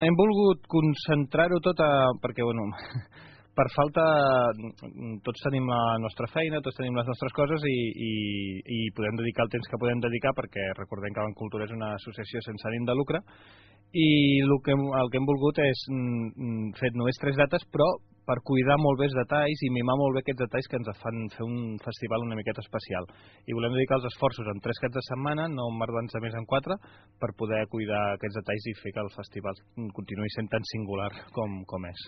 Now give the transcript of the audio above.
Hem volgut concentrar-ho tot perquè, bueno, per falta tots tenim la nostra feina, tots tenim les nostres coses i podem dedicar el temps que podem dedicar, perquè recordem que Cultura és una associació sense ànim de lucre, i el que hem volgut és fer només 3 dates, però per cuidar molt bé els detalls i mimar molt bé aquests detalls que ens fan fer un festival una miqueta especial. I volem dedicar els esforços en 3 caps de setmana, no emmerdant-nos més en 4, per poder cuidar aquests detalls i fer que el festival continuï sent tan singular com és.